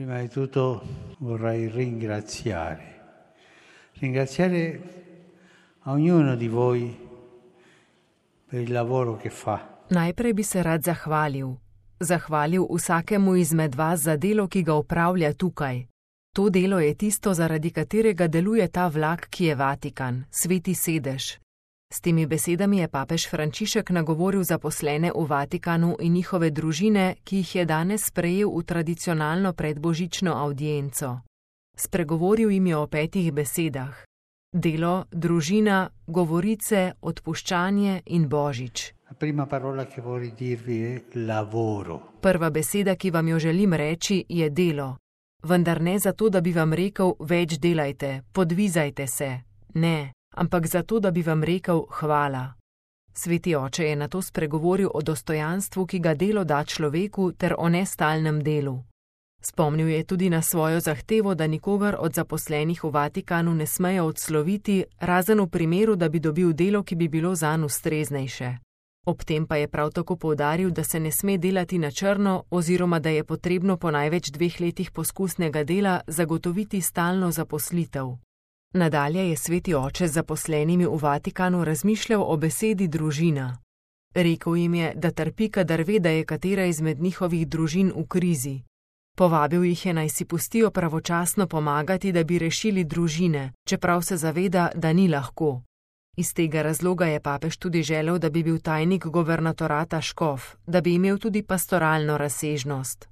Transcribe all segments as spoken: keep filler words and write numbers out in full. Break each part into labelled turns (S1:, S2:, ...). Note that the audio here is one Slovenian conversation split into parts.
S1: Prima di tutto vorrei ringraziare, ringraziare a ognuno di voi per il lavoro che fa.
S2: Najprej bi se rad zahvalil. Zahvalil vsakemu izmed vas za delo, ki ga opravlja tukaj. To delo je tisto, zaradi katerega deluje ta vlak, ki je Vatikan, sveti sedež. S temi besedami je papež Frančišek nagovoril zaposlene v Vatikanu in njihove družine, ki jih je danes sprejel v tradicionalno predbožično avdienco. Spregovoril jim je o petih besedah: delo, družina, govorice, odpuščanje in božič.
S1: Prima parola che vorrei dirvi è lavoro.
S2: Prva beseda, ki vam jo želim reči, je delo. Vendar ne zato, da bi vam rekel, več delajte, podvizajte se. Ne, ampak zato, da bi vam rekel hvala. Sveti oče je nato spregovoril o dostojanstvu, ki ga delo da človeku, ter o nestalnem delu. Spomnil je tudi na svojo zahtevo, da nikogar od zaposlenih v Vatikanu ne smejo odsloviti, razen v primeru, da bi dobil delo, ki bi bilo zanj ustreznejše. Ob tem pa je prav tako poudaril, da se ne sme delati na črno oziroma da je potrebno po največ dveh letih poskusnega dela zagotoviti stalno zaposlitev. Nadalje je sveti oče z zaposlenimi v Vatikanu razmišljal o besedi družina. Rekel jim je, da trpi, kadar ve, da je katera izmed njihovih družin v krizi. Povabil jih je, naj si pustijo pravočasno pomagati, da bi rešili družine, čeprav se zaveda, da ni lahko. Iz tega razloga je papež tudi želel, da bi bil tajnik guvernatorata škof, da bi imel tudi pastoralno razsežnost.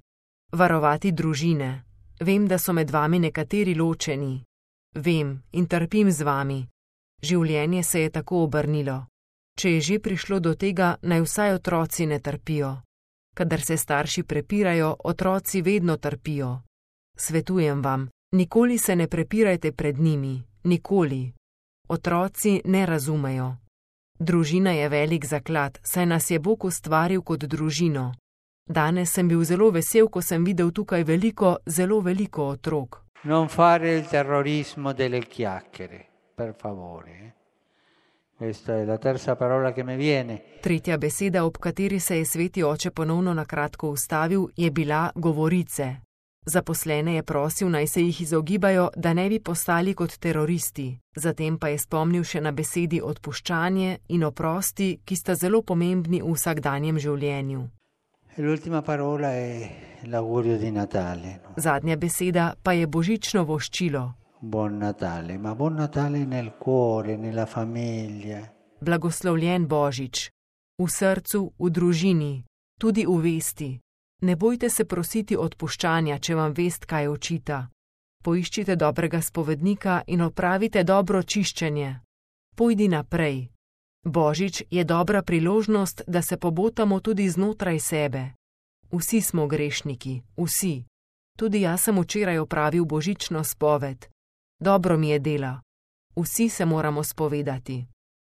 S2: Varovati družine. Vem, da so med vami nekateri ločeni. Vem in trpim z vami. Življenje se je tako obrnilo. Če je že prišlo do tega, naj vsaj otroci ne trpijo. Kadar se starši prepirajo, otroci vedno trpijo. Svetujem vam, nikoli se ne prepirajte pred njimi, nikoli. Otroci ne razumejo. Družina je velik zaklad, saj nas je Bog ustvaril kot družino. Danes sem bil zelo vesel, ko sem videl tukaj veliko, zelo veliko otrok.
S1: Non fare il terrorismo delle chiacchiere, per favore. Questa è la terza parola che mi viene.
S2: Tretja beseda, ob kateri se je sveti oče ponovno na kratko ustavil, je bila govorice. Zaposlene je prosil, naj se jih izogibajo, da ne bi postali kot teroristi. Zatem pa je spomnil še na besedi odpuščanje in oprosti, ki sta zelo pomembni v vsakdanjem življenju.
S1: L'ultima parola è l'augurio di Natale. No?
S2: Zadnja beseda pa je božično voščilo.
S1: Buon Natale, ma buon Natale nel cuore, nella famiglia.
S2: Blagoslovljen božič. V srcu, v družini, tudi v vesti. Ne bojte se prositi odpuščanja, če vam vest kaj očita. Poiščite dobrega spovednika in opravite dobro čiščenje. Pojdi naprej. Božič je dobra priložnost, da se pobotamo tudi znotraj sebe. Vsi smo grešniki, vsi. Tudi jaz sem včeraj opravil božično spoved. Dobro mi je dela. Vsi se moramo spovedati.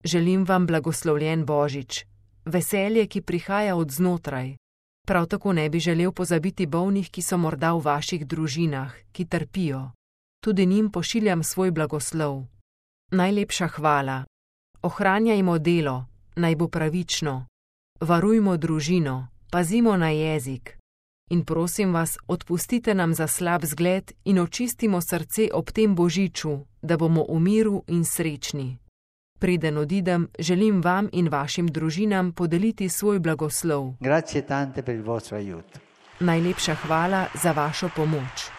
S2: Želim vam blagoslovljen božič. Veselje, ki prihaja od znotraj. Prav tako ne bi želel pozabiti bolnih, ki so morda v vaših družinah, ki trpijo. Tudi njim pošiljam svoj blagoslov. Najlepša hvala. Ohranjajmo delo, naj bo pravično. Varujmo družino, pazimo na jezik. In prosim vas, odpustite nam za slab zgled in očistimo srce ob tem božiču, da bomo v miru in srečni. Preden odidem, želim vam in vašim družinam podeliti svoj blagoslov.
S1: Grazie tante per il vostro aiuto.
S2: Najlepša hvala za vašo pomoč.